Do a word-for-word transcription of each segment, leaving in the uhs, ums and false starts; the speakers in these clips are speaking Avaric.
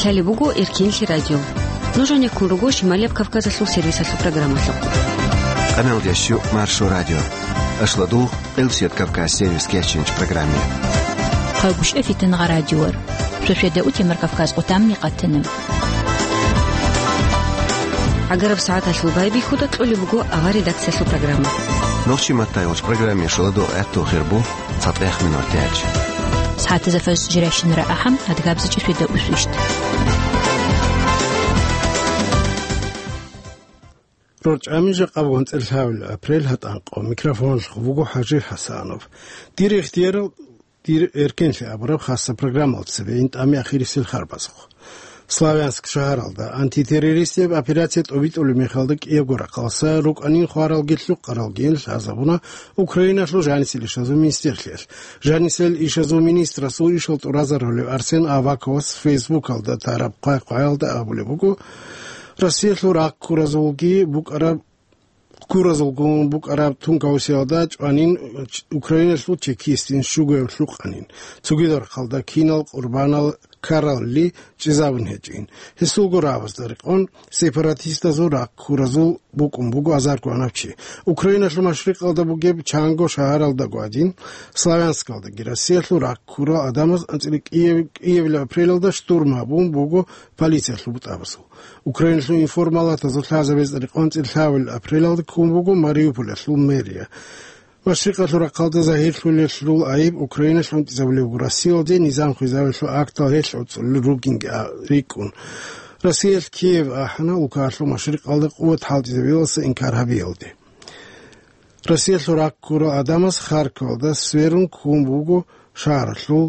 Лъалеб буго Эркенлъи радио. Нуж гьанеккун руго Шималияб Кавказалъул сервисалъул программалъухъ. Къаналдящу Маршо радио. Ашладугъ Элсият Кавказ сервис кеченч программе. Хъагушев Фитнагъа радиор. Шошеда утемар Кавказ къутамни къатана. Агараб сагӀаталъул байбихьуда кьолеб буго авар редакциялъул программа. Нохчи матайолч программе шаладо гӀатту хирбу. ЦатӀех минутач. СагӀатазда фажр жирайщинара ахӀам, адгабзичӀи шведа усвищт. РорчӀами жакъа бугун цӀелъавил апрель гьатӀанкъо. Микрофонлъ вуго ХӀажи ХӀасанов. Дир ихтияр, дир эркенлъи абураб хасса программал цебе ин тӀами ахирисел харбазухъ. Славянск шагьаралда антитеррористияб операция тӀобитӀулеб мехалда кӀиябго рахъалса рукӀанин хваралги лъукъаралгийин лъазабуна Украиналъул жанисел ишазул министрлъиялъ. Жанисел ишазул министрасул ишал тӀуразарулев Арсен Аваковас Фейсбукалда тараб хъвай-хъваялда абулеб буго, Россиялъул рахъ ккуразулги букӀараб ккуразулгун букӀараб тункаусиялда чӀванин Украиналъул чекистин щугояв лъукъанин. Цогидал рахъалда кинал къурбанал ккаралли чӀезабун гьечӀин. Гьесулго рагӀабазда рекъон, сепаратистазул рахъ ккуразул букӀун буго азарго гьанав чи. Украиналъул машрикъалда бугеб Чанго шагьаралда гвадин, Славянскалдаги Россиялъул рахъ ккурал гӀадамаз анцӀила кӀияб-, кӀиябилеб апрелалда штурм гьабун буго полициялъул бутӀабазул. Украиналъул информалатазул лъазабазда рекъон цӀилъавил апрелалда ккун буго Мариуполалъул мэрия. Машрикъалъул рахъалда загьирлъулелъул гӀайиб Украиналъ унтӀизабулеб буго Россиялде низам хвезавилъул актал гьелъ гӀуцӀулел ругинги а-, рикӀкӀун. Россиялъ Киев ахӀана улкаялъул машрикъалда къуват хӀалтӀизабиялдаса инкар гьабиялде. Россиялъул рахъ ккурал гӀадамаз Харьковалда сверун ккун буго шагьаралъул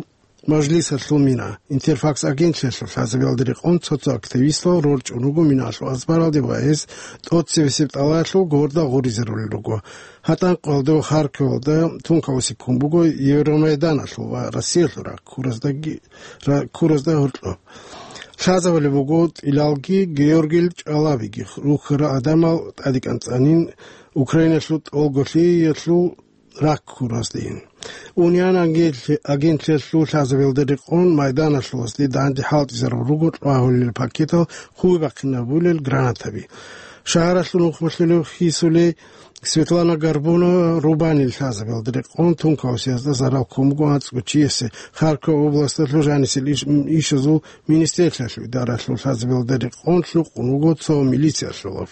мажлисалъул мина. Интерфакс агентлъиялъул лъазабиялда рекъон цо-цо активистал рорчӀун руго миналъул азбаралде ва гьез тӀоцебесеб тӀалаялъул горда гъуризарулел руго. ГьатӀанкъоялда ва Харьковалда тункаусиккун буго Евромайданалъул ва Россиялъул рахъ ккураздаги-, ра-, ккуразда гьоркьоб. Лъазабулеб буго ТӀилалги Георгил ЧӀалабиги рухьарал гӀадамал тӀадекӀанцӀанин Украиналъул тӀолголъиялъул рахъ ккураздейин. Униан агентлъи-, агентлъиялъул лъазабиялда рекъон майданалъулазде данде хӀалтӀизарун руго тӀвагьулел пакетал хъуй бахъинабулел гранатаби. Шагьаралъул нухмалъулев хисулей Светлана Горбунова рубанил лъазабиялда рекъон тункаусиязда зарал ккун буго анцӀго чиясе. Харьков областалъул жанисел иш-, ишазул министрлъиялъул идаралъул лъазабиялда рекъон лъукъун вуго цо милициялъулав.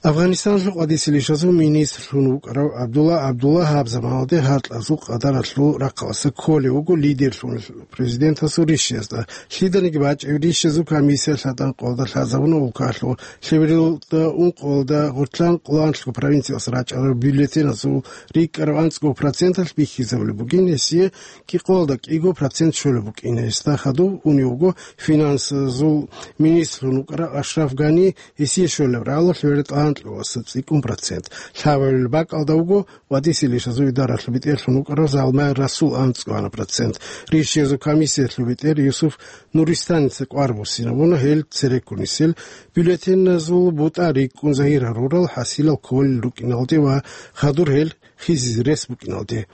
Афганистаналъул къватӀисел ишазул министрлъун вукӀарав ГӀабдулла ГӀабдулла гьаб заманалде гьаркьазул къадаралъул рахъаласа кколев вуго лидерлъун президентасул ришшиязда. Лъиданиги бачӀев ришшизул комиссия лъадаб къоялда лъазабуна улкалъул лъеберилда ункъоялда гъоркьан къоланлъго провинциялъ рачӀарал бюллетеназул рикӀкӀараб анцӀго проценталъ бихьизабулеб бугин, гьесие кӀикъоялда кӀиго процент щолеб букӀин. Гьесда хадуб унев вуго финансазул министрлъун вукӀарав Ашраф Гани, гьесие щолеб рагӀалалъ веретӀа анкьаваса цӀикӀкӀун процент. Лъабабилеб бакӀалда вуго ва дисилищазул идаралъул бетӀерлъун вукӀарав Залмай Расул анцӀго гьана процент. Ришшиязул комиссиялъул бетӀер Юсуф Нуристаница кӀвар буссинабуна гьел цереккунисел бюллетеназул бутӀа рикӀкӀун загьир гьарурал хӀасилал кколел рукӀиналде ва хадур гьел хизизе рес букӀиналде.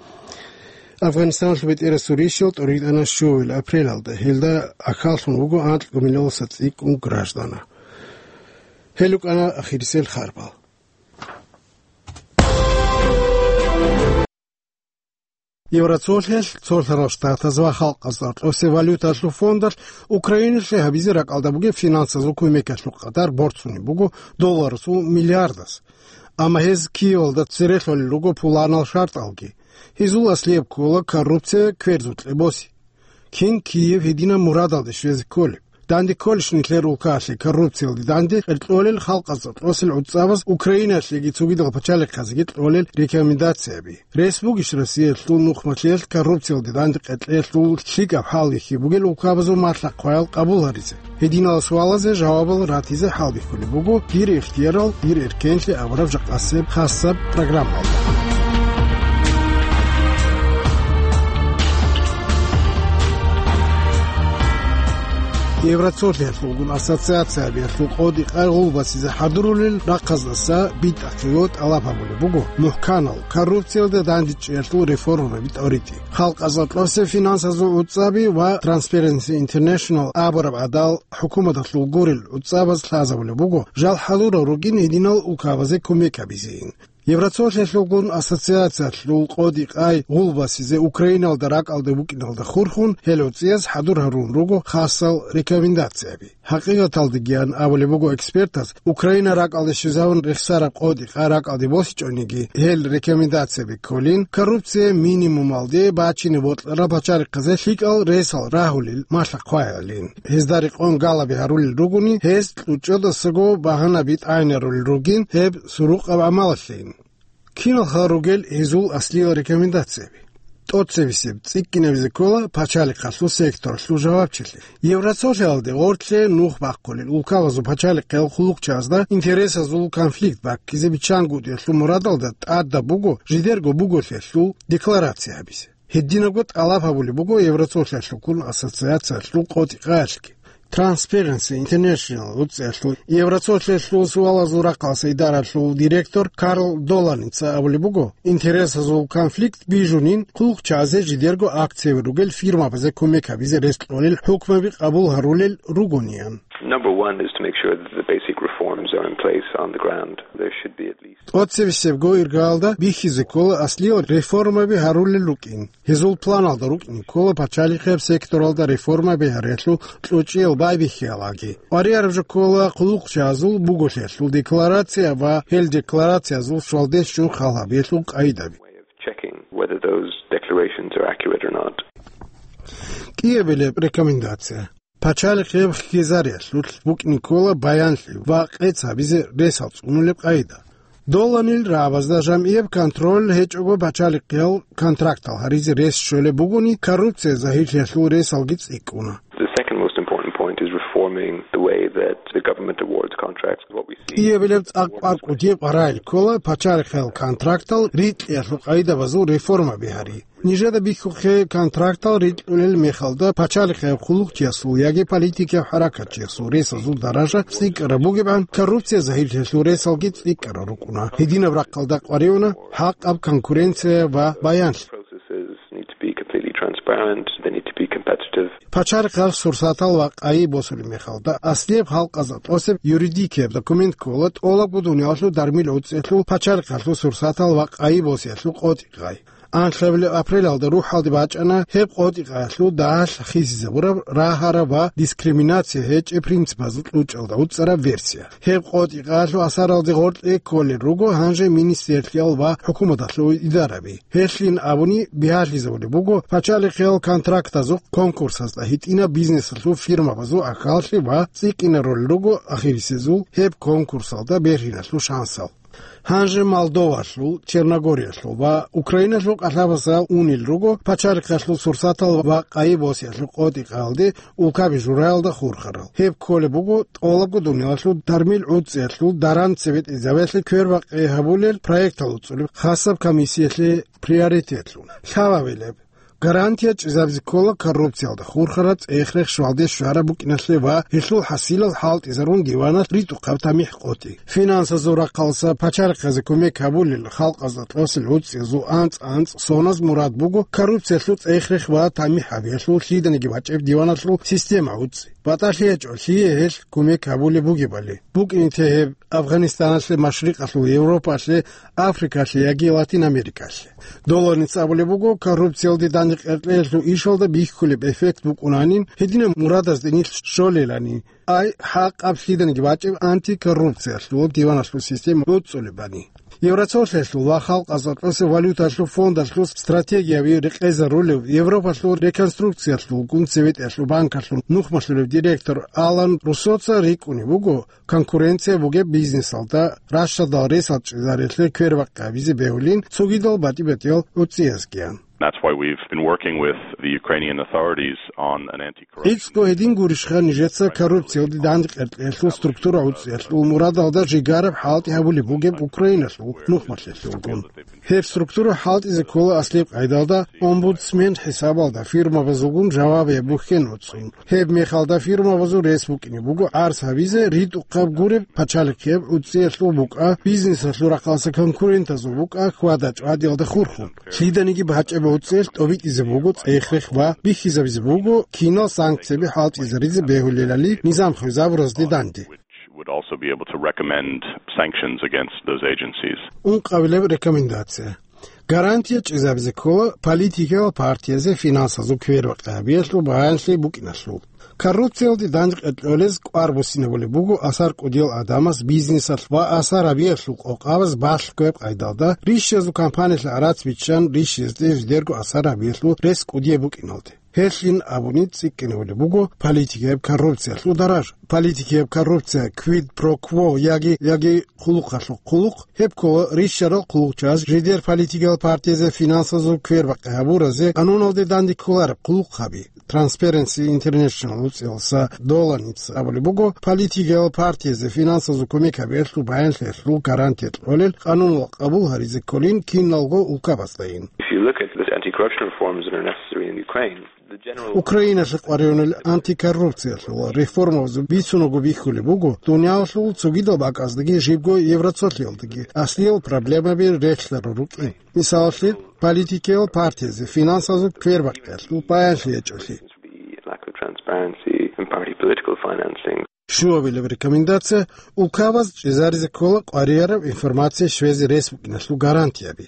Афганистаналъул бетӀерасул ришшал тӀуритӀана щуабилеб апрелалда, гьелда ахьаллъун вуго анкьго миллионалдаса цӀикӀкӀун граждана. Гьел рукӀана ахирисел харбал. Евроцолъиялъ, Цолъарал Штатаз ва Халкъазда Кьосе валюталъул фондалъ Украиналъе гьабизе ракӀалда бугеб финансазул кумекалъул къадар борцунеб буго долларасул миллиардас. Амма гьез Киевалда церехъулел руго пуланал шартӀалги. Гьезул аслияб ккола коррупция кверзукье боси. Кин Киев гьединаб мурадалде щвезе кколеб? Данде кколищ нилъер улкаялъе коррупциялде данде кьеркьолел халкъазда кьосел гӀуцӀабаз Украиналъеги цогидал пачалихъазеги кьолел рекомендацияби? Рес бугищ Россиялъул нухмалъиялъ коррупциялде данде кьеркьелъул лъикӀаб хӀалбихьи бугел улкабазул малъа-хъваял къабул гьаризе? Гьединал суалазе жавабал ратизе хӀалбихьулеб буго дир ихтиярал, дир эркенлъи абураб жакъасеб хасаб программалда. Евроцолъиялъулгун ассоциациябиялъул къотӀи-къай гъулбасизе хӀадурулел рахъаздаса битӀахъего тӀалаб гьабулеб буго мухӀканал коррупциялда дандечӀеялъул реформаби тӀоритӀи. Халкъазул кьосе финансазул гӀуцӀаби ва Transparency International абураб гӀадал хӀукуматалъул гурел гӀуцӀабаз лъазабулеб буго, жал хӀалурал ругин гьединал улкабазе кумек гьабизейин. Евроцолъиялъулгун ассоциациялъул къотӀи-къай гъулбасизе Украиналда ракӀалде букӀиналда хурхун, гьел гӀуцӀияз хӀадур гьарун руго хасал рекомендацияби. ХӀакъикъаталдегиян абулеб буго экспертаз, Украина ракӀалде щвезавун рехсараб къотӀи-къай ракӀалде босичӀониги, гьел рекомендацияби кколин, коррупция минимумалде бачине бокьарал пачалихъазе лъикӀал ресал рагьулел малъа-хъваялин. Гьезда рекъон галаби гьарулел ругони, гьез кьучӀдасаго багьанаби тӀагӀинарулел ругин гьеб сурукъаб гӀамалалъейин. Киналха ругел гьезул аслиял рекомендацияби? ТӀоцебесеб цӀикӀкӀинабизе ккола пачалихъалъул секторалъул жавабчилъи. Евроцолъиялде гъорлъе нух бахъулел улкабазул пачалихъиял хъулухъчазда интересазул конфликт баккизе биччангутӀиялъул мурадалда тӀадаб буго жидерго буголъиялъул декларация гьабизе. Гьединабго тӀалаб гьабулеб буго Евроцолъиялъулгун ассоциациялъул къотӀи-къаялъги. Transparency International гӀуцӀиялъул Евроцолъиялъул суалазул рахъалъа идаралъул директор Карл Доланица абулеб буго, интересазул конфликт бижунин хъулухъчазе жидерго акцияби ругел фирмабазе кумек гьабизе рес кьолел хӀукмаби къабул гьарулел ругониян. Number one is to make sure that the basic reforms are in place on the ground. There should be at least ТӀоцебесебго иргаялда бихьизе ккола аслиял реформаби гьарулел рукӀин. Гьезул планалда рукӀине ккола пачалихъияб секторалда реформаби гьариялъул кьучӀиял байбихьиялаги. КъваригӀараб жо ккола хъулухъчазул буголъиялъул декларация ва гьел декларациязул щвалдес чӀун хал гьабиялъул къайдаби. Way of checking whether those declarations are accurate or not. КӀиабилеб рекомендация. Пачалихъияб хьизариялъулъ букӀине ккола баянлъи ва къец гьабизе ресал цӀунулеб къайда. Доланил рагӀабазда жамгӀияб контроль гьечӀого пачалихъиял контрактал гьаризе рес щолеб бугони, коррупция загьирлъиялъул ресалги цӀикӀкӀуна. The second most important point is reforming the way that the government awards contracts. What we see КӀиабилеб цӀакъ кӀвар кӀудияб къваригӀел ккола пачалихъиял контрактал рикьиялъул къайдабазул реформаби гьари. Нижеда бихьухъе контрактал рикьулел мехалда пачалихъияб хъулухъчиясул яги политикияб хӀаракатчиясул ресазул даража цӀикӀкӀараб бугебгӀан, коррупция загьирлъиялъул ресалги цӀикӀкӀарал рукӀуна. Гьединаб рахъалда къваригӀуна хӀакъаб конкуренция ва баянлъи. Processes need to be completely transparent, they need to be competitive. Пачалихъал сурсатал ва къайи босулеб мехалда аслияб халкъазда тӀосеб юридикияб документ ккола тӀолабго дуниялалъул дармил гӀуцӀиялъул пачалихъалъул сурсатал ва къайи босиялъул къотӀи-къай. Анлъабилеб апрелалда рухӀалде бачӀана гьеб къотӀи-къаялъул дагьалъ хисизабураб рагьараб ва дискриминация гьечӀеб принципазул кьучӀалда гӀуцӀараб версия. Гьеб къотӀи-къаялъул асаралде гъоркье кколел руго гьанже министрлъиял ва хӀукуматалъул идараби. Гьелъин абуни, бигьалъизабулеб буго пачалихъиял контрактазухъ конкурсазда гьитӀинаб бизнесалъул фирмабазул ахьаллъи ва цӀикӀкӀинарулел руго ахирисезул гьеб конкурсалда бергьиналъул шансал. Гьанже Молдовалъул, Черногориялъул ва Украиналъул кӀалъабазда унел руго пачалихъалъул сурсатал ва къайи босиялъул къотӀи-къаялде улкаби жураялда хурхарал. Гьеб кколеб буго тӀолабго дуниялалъул дармил гӀуцӀиялъул даран цебетӀезабиялъе квербакъи гьабулел проектал уцӀулеб хасаб комиссиялъе приоритетлъун. Лъабабилеб гарантия чӀезабизе ккола коррупциялда хурхараб цӀех-рех щвалде щвараб букӀиналъе ва гьелъул хӀасилал хӀалтӀизарун диваналъ ритӀухъаб тамихӀ къотӀи. Финансазул рахъалъа пачалихъазе кумек гьабулел халкъазда тӀасел гӀуцӀиязул анцӀ-анцӀ соназ мурад буго коррупциялъул цӀех-рех ва тамихӀ гьабиялъул лъиданиги бачӀеб диваналъул система гӀуцӀи. БатӀалъи гьечӀо лъие гьелъ кумек гьабулеб бугебали. БукӀине те гьеб Афганистаналъе, Машрикъалъул Европалъе, Африкалъе яги Латин Америкалъе. Доланица абулеб буго, коррупциялде дандекъеркьеялъул ишалда бихьулеб эффект букӀунанин, гьединаб мурадазде нилъ щолелани, ай хӀакъаб лъиданиги бачӀеб антикоррупциялъул диваналъул система гӀуцӀулебани. Евроцолъиялъул ва Халкъазул кьоса валюталъул фондалъул стратегияви рекъезарулев Европалъул реконструкциялъулгун цеветӀиялъул банкалъул нухмалъулев директор Алан Руссоца рикӀкӀунеб буго, конкуренция бугеб бизнесалда ращадал ресал чӀезариялъе квербакъи гьабизе бегьулин цогидал батӀи-батӀиял гӀуцӀиязгиян. That's why we've been working with the Ukrainian authorities on an anti-corruption. ГӀицӀго гьедин гурищха нижеца коррупциялде дандекъеркьелъул структура гӀуцӀиялъул мурадалда жигараб хӀалтӀи гьабулеб бугеб Украиналъул нухмалъелъулгун. Гьеб структура хӀалтӀизе ккола аслеб къайдалда омбудсмен хӀисабалда фирмабазулгун жавабияб бухьен уцун. Гьеб мехалда фирмабазул рес букӀине буго арс гьабизе ритӀухъаб гуреб пачалихъеб гӀуцӀиялъул букӀа, бизнесалъул рахъалъа конкурентазул букӀа хьвада-чӀвадиялда хурхун. Лъиданиги бачӀеб гӀуцӀиялъ тӀобитӀизе буго цӀех-рех ва бихьизабизе буго кинал санкцияби хӀалтӀизаризе бегьулелали низам хвезабуразде данде. Would also be able to recommend sanctions against those agencies. Ункъабилеб рекомендация. Гарантия чӀезабизе ккола политикиял партиязе финансазул квербакъи гьабиялъул баянлъи букӀиналъул. Коррупциялде дандекъеркьолез кӀвар буссинабулеб буго асар кӀудиял адамас бизнесалъ ва асар гьабиялъул къокъабаз балъгояб къайдалда, рищазул кампаниялъе арацбиччан рищезде жидерго асар гьабиялъул рес кӀудияб букӀиналде. Гьелъин абуни цӀикӀкӀинабулеб буго политикияб коррупциялъул даража. Политикияб коррупция, quid pro quo, яги, яги хъулухъалъул хъулухъ, гьеб ккола рищарал хъулухъчияс жидер политикиял партиязе финансазул квербакъи гьабуразе къануналде данде кколареб хъулухъаби. Transparency International гӀуцӀиялъа Доланица абулеб буго, политикиял партиязе финансазул кумек гьабиялъул баянлъиялъул гарантия кьолел къанунал къабул гьаризе кколин киналго улкабаздайин. If you look at the anti-corruption reforms that are necessary in Ukraine, the general Украиналъе къваригӀунел антикоррупциялъул реформабазул бицунго бихьулеб буго, дуниялалъул цогидал бакӀаздаги жибго Евроцолъиялдаги аслиял проблемаби релълъарал рукӀин. Мисалалъе, политикиял партиязе финансазул квербакъиялъул баянлъи гьечӀолъи. Lack of transparency in party political financing. Щуабилеб рекомендация: улкабаз чӀезаризе ккола къваригӀараб информация щвезе рес букӀиналъул гарантияби.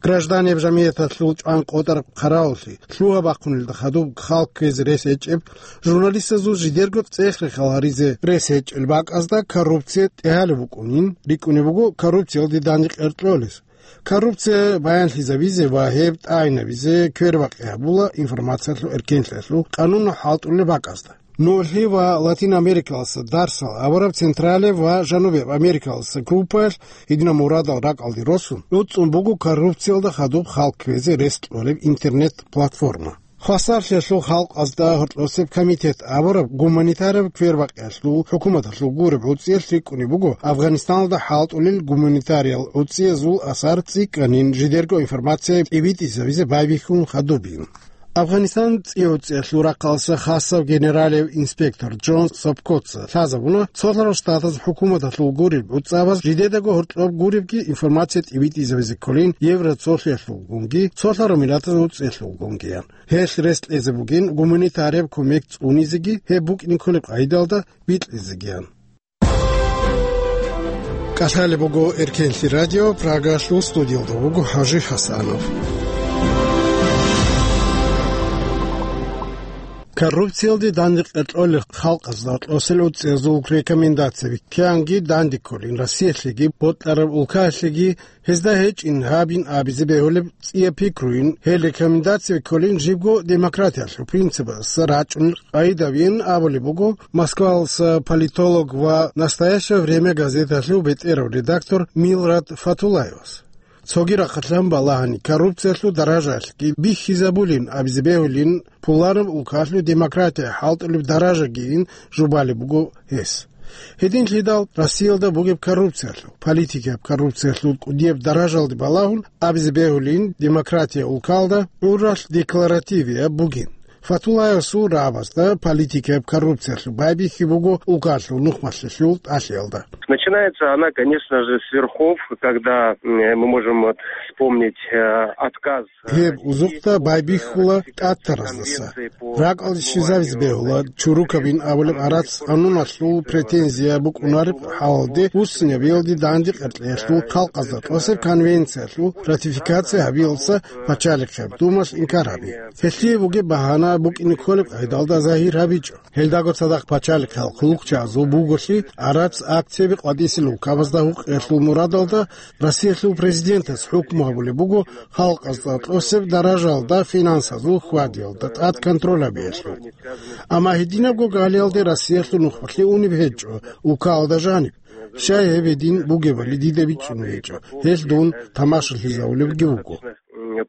Гражданиял жамигӀяталъул чӀван къотӀараб хъаравуллъи, лъугьа-бахъунелда хадуб халкъ кквезе рес гьечӀеб, журналистазул жидерго цӀех-рехал гьаризе рес гьечӀел бакӀазда коррупция тӀегьалеб букӀунин рикӀкӀунеб буго коррупциялде дандекъеркьолез. Коррупция баянлъизабизе ва гьеб тӀагӀинабизе квербакъи гьабула информациялъул эркенлъиялъул къанунал хӀалтӀулел бакӀазда. НугӀлъи ва Латин Америкалъа дарсал абураб Централияб ва Жанубияб Америкалъа группаялъ гьединаб мурадал ракӀалде росун, гӀуцӀун буго коррупциялда хадуб халкъ кквезе рес кьолеб интернет-платформа. Хвасарлъиялъул халкъазда гьоркьосеб комитет абураб гуманитарияб квербакъиялъул хӀукуматалъул гуреб гӀуцӀиялъ рикӀкӀунеб буго Афганистаналда хӀалтӀулел гуманитариял гӀуцӀиязул асар цӀикӀкӀанин жидерго информация тӀибитӀизабизе байбихьун хадубин. Афганистан цӀи гӀуцӀиялъул рахъалъа хасав генералияб инспектор Джон Сопкоца лъазабуна, Цолъарал Штатаз хӀукуматалъул гуреб гӀуцӀабаз жидедаго гьоркьоб гуребги информация тӀибитӀизабизе кколин Евроцолъиялъулгунги Цолъарал Миллатаз гӀуцӀиялъулгунгиян. Гьелъ рес кьезе бугин гуманитарияб кумек цӀунизеги, гьеб букӀине кколеб къайдалда бикьизегиян. КӀалъалеб буго Эркенлъи радио, Прагалъул студиялда вуго ХӀажи ХӀасанов. Коррупциялде дандекъеркьолел халкъазда кьосел гӀуцӀиязул рекомендацияби кканги данде кколин Россиялъеги, бокьараб улкаялъеги, гьезда гьечӀин гьабин абизе бегьулеб цӀияб пикруйин, гьел рекомендацияби кколин жибго демократиялъул принципалъа рачӀунел къайдабин абулеб буго Москвалъа политолог ва «Настоящее время» газеталъул бетӀерав редактор Милрат Фатуллаевас. Цоги рахъалъан балагьани, коррупциялъул даражаялъги бихьизабулин абизе бегьулин, пуланаб улкалъул демократия хӀалтӀулеб даражагийин жубалеб буго гьес. Гьединлъидал Россиялда бугеб коррупциялъул, политикияб коррупциялъул кӀудияб даражалде балагьун абизе бегьулин, демократия улкалда гӀуралъ декларативияб бугин. Фатуллаевасул рагӀабазда политикияб коррупциялъул байбихьи буго улкалъул нухмалъулъул тӀалъиялда. Начинается она, конечно же, с верхов, когда, м, мы можем вот вспомнить, э, отказ Гьеб узухъда байбихьула тӀатараздаса. РакӀалде щвезабизе бегьула чурукабин абулеб гӀарац къануналъул претензия букӀунареб хӀалалде, вуссинабиялде дандекъеркьеялъул халкъазда тӀасеб конвенциялъул ратификация гьабиялдаса пачалихъеб думалъ инкар гьаби. Гьелъие бугеб багьана букӀине кколеб къайдалда загьир гьабичӀо. Гьелдаго цадахъ пачалихъал хъулухъчагӀазул буголъи гӀарац акцияби къватӀисел улкабазда гьукъиялъул мурадалда Россиялъул президентас хӀукму гьабулеб буго халкъазда тӀасеб даражалда финансазул хьвадиялда тӀад контроль гьабиялъул. Амма гьединабго галиялде Россиялъул нухмалъи унеб гьечӀо улкалда жаниб. Щай гьеб гьедин бугебали дида бичӀчӀун гьечӀо, гьелъ дун тамашалъизавулебги вуго.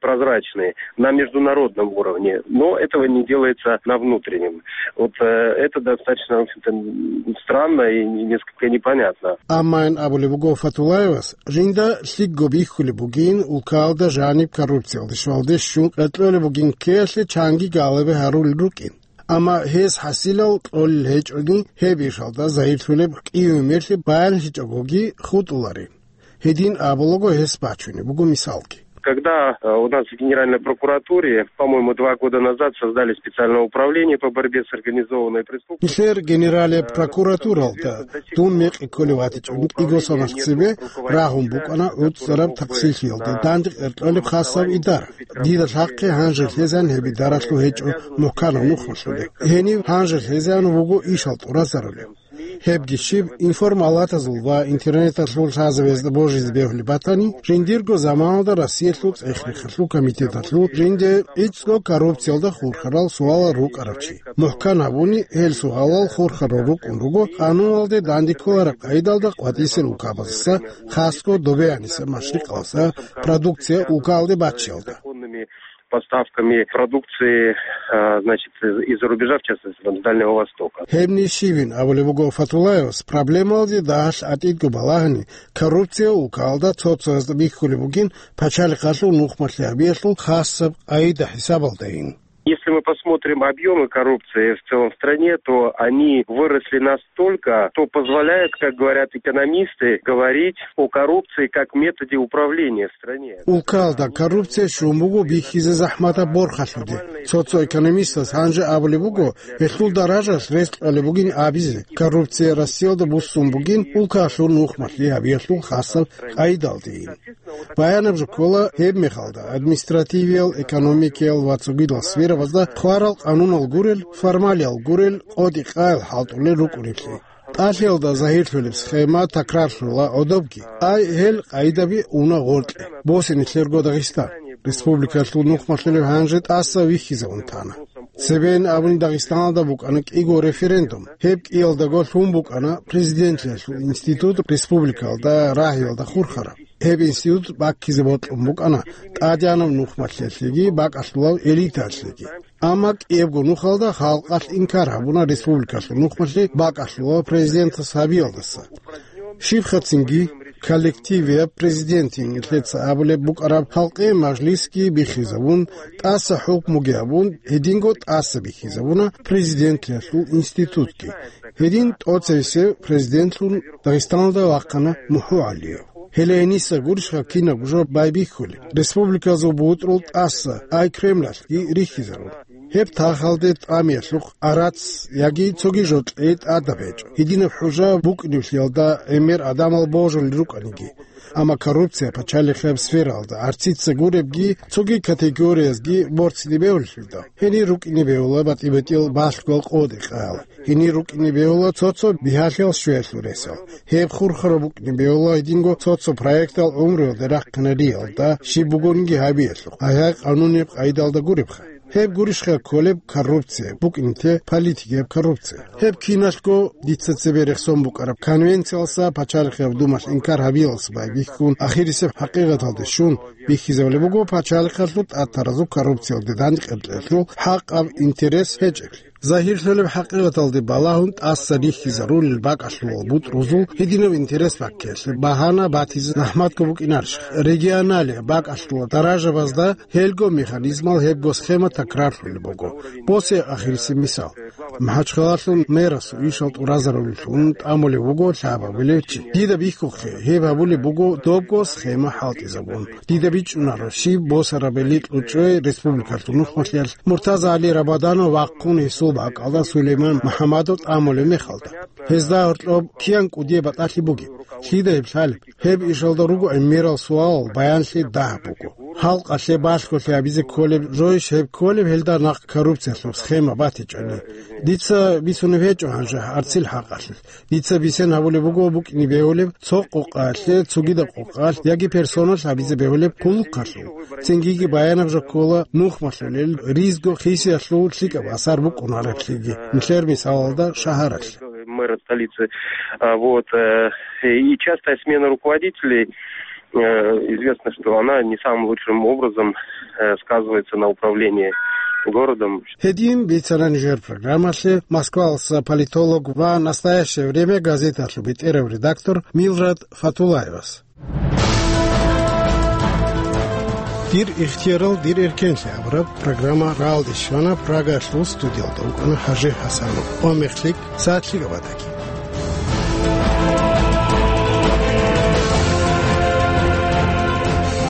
прозрачные на международном уровне, но этого не делается на внутреннем. Вот э, это достаточно, в общем-то, м, странно и несколько непонятно. Амма ин абулеб буго Фатулаевас, жинда лъикӀго бихьулеб бугин, улкаялда жаниб коррупциялде щвалде щун къеркьолеб бугин ккеялъе чанги галебе гьарулел рукӀин. Амма гьес хӀасилал кьолел гьечӀони, гьеб ишалда загьирлъулеб кӀияве мерлъи баянлъичӀогоги хутӀуларин. Гьедин абулаго гьес бачунеб буго мисалги. Когда э, у нас в Генеральной прокуратуре, по-моему, два года назад создали специальное управление по борьбе с организованной преступностью. Нилъер генералия прокуратуралда дун мекъи кколев ватичӀун кӀиго соналъ цебе рагьун букӀана гӀуцӀараб такъсирлъиялде данде къеркьолеб хасаб идара. Дида лъахъе гьанже лъезан гьеб идаралъул гьечӀо мухӀканаб нухмалъулеб. Гьенив гьанже лъезан вуго ишал тӀуразарулеб. Гьебги щиб, информалатазул ва интернеталъул лъазабазда божизе бегьулеб батани, жиндирго заманалда Россиялъул цӀех-рехалъул комитеталъул жинде гӀицӀго коррупциялда хурхарал суалал рукӀарав чи. МухӀкан гьабуни, гьел суалал хурхарал рукӀун руго къануналде данде кколараб къайдалда къватӀисел улкабаздаса, хасго добеянисеб машрикъалдаса продукция улкаялде баччиялда. Поставками продукции, а, значит, из- из-за рубежа, в частности, там, с Дальнего Востока. Гьебни щибин абулеб буго Фатулаевас, проблемалде дагьалъ гӀатӀидго балагьани, коррупция улкаялда цо-цоясда бихьулеб бугин пачалихъалъул нухмалъи гьабиялъул хасаб къайда хӀисабалдайин. Если мы посмотрим объемы коррупции в целом в стране, то они выросли настолько, что позволяет, как говорят экономисты, говорить о коррупции как методе управления в стране. Улкаялда коррупция щун буго бихьизе захӀматаб борхалъуде. Цо-цо экономистас гьанже абулеб буго, гьелъул даражалъ рес кьолеб бугин абизе, коррупция Россиялда буссун бугин улкалъул нухмалъи гьабиялъул хасаб къайдалдейин. Баянаб жо ккола, гьеб мехалда административиял, экономикиял ва цогидал сферабазда хъварал къанунал гурел, формалиял гурел, къотӀи-къаял хӀалтӀулел рукӀунеблъи. ТӀалъиялда загьирлъулеб схема такрарлъула гӀодобги. Ай, гьел къайдаби уна гъоркье, босе нилъерго Дагъистан. Республикалъул нухмалъулеб гьанже тӀаса вихьизавун тана. Цебейин абуни Дагъистаналда букӀана кӀиго референдум. Гьеб кӀиялдаго лъун букӀана президентлъиялъул институт республикалда рагьиялда хурхараб. Гьеб институт баккизе бокьун букӀана тӀадегӀанаб нухмалъиялъеги бакӀалъулав элитаялъеги. Амма кӀиябго нухалда халкъалъ инкар гьабуна республикалъул нухмалъи бакӀалъулав президентас гьабиялдаса. Щибхъацинги, коллективияб президентин лъеца абулеб букӀараб халкъи мажлисги биххизабун, тӀаса хӀукмуги гьабун, гьединго тӀаса биххизабуна президентлъиялъул институтги. Гьедин тӀоцевесев президентлъун Дагъистаналда вахъана МухӀу ГӀалиев. Гьеле гьениса гурищха кинабго жо байбихьулеб, республиказул бутӀрул тӀаса, ай Кремлалъги рихьизарун. Гьеб тахалде тӀамиялъухъ арац яги цоги жо кьей тӀадаб гьечӀо. Гьединаб хӀужа букӀиниблъиялда гӀемер гӀадамал божулел рукӀаниги. Амма коррупция пачалихъияб сфералда гӀарцица гуребги, цоги категориязги борцине бегьулелъулда, гьенир рукӀине бегьула батӀи-батӀиял балъгоял къодикъаял. Гьенир рукӀине бегьула цо-цо бигьалъиял щвеялъул ресал. Гьеб хурхараб букӀине бегьула гьединго цо-цо проектал гӀумруялде рахъинариялда, щиб бугониги гьабиялъухъ, гьай-гьай къанунеб къайдалда гуребха. Гьеб гурищха кколеб коррупция, букӀинте политикияб коррупция. Гьеб киналъго дица цебе рехсон букӀараб конвенциялса пачалихъияб думалъ инкар гьабиялса байбихьун, ахирисеб хӀакъикъаталде щун, бихьизабулеб буго пачалихъалъул тӀатаразул коррупциялде дандекъеблъиялъул хӀакъаб интерес гьечӀеблъи. Загьирлъулеб хӀакъикъаталде балагьун тӀаса рихьизарулел бакӀалъулал бутӀрузул гьединаб интерес баккиялъе багьана батизе захӀматго букӀинарищ? Регионалияб бакӀалъулал даражабазда гьелго механизмал гьебго схема такрарлъулеб буго. Босе ахирисеб мисал. МахӀачхъалалъул мэрасул ишал тӀуразарулелъун тӀамулев вуго лъабабилев чи. Дида бихьухъе, гьеб гьабулеб буго добго схема хӀалтӀизабун. Дида бичӀчӀунаро, щиб босарабали кьучӀой республикалъул нухмалъиялъ Муртаза ГӀали Рабаданов вахъун гьесул бакӀалда Сулейман МухӀамадов тӀамулеб мехалда. Гьезда гьоркьоб киян кӀудияб батӀалъи бугеб? Лъида гьеб лъалеб? Гьеб ишалда руго гӀемерал суалал баянлъи дагьаб буго. Халкъалъе балъголъи гьабизе кколеб жойищ гьеб кколеб гьелда нахъ коррупциялъул схема батичӀони? Дица бицунеб гьечӀо гьанже гьарцил хӀакъалъулъ. Дица бисен гьабулеб буго букӀине бегьулеб цо къокъаялъе цогидаб къокъаялъ яги персоналъ гьабизе бегьулеб хъулухъалъул. Цингиги баянаб жо ккола нухмалъулел ризго хисиялъул лъикӀаб асар букӀунареблъиги нилъер мисалалда шагьаралъ. Мэра столицы. А, вот, э, и частая смена руководителей, Э, известно, что она не самым лучшим образом, э, сказывается на управлении городом. Гьедин бицана нижер программалъе Москваласа политолог ва «Настоящее время» газеталъул бетӀерав редактор Милрад Фатулаевас. «Дир ихтиярал, дир эркенлъи» абураб программа рагӀалде щвана, Прагалъул студиялда вукӀана ХӀажи ХӀасанов. Ва мехлъи сагӀат лъикӀаб батаги.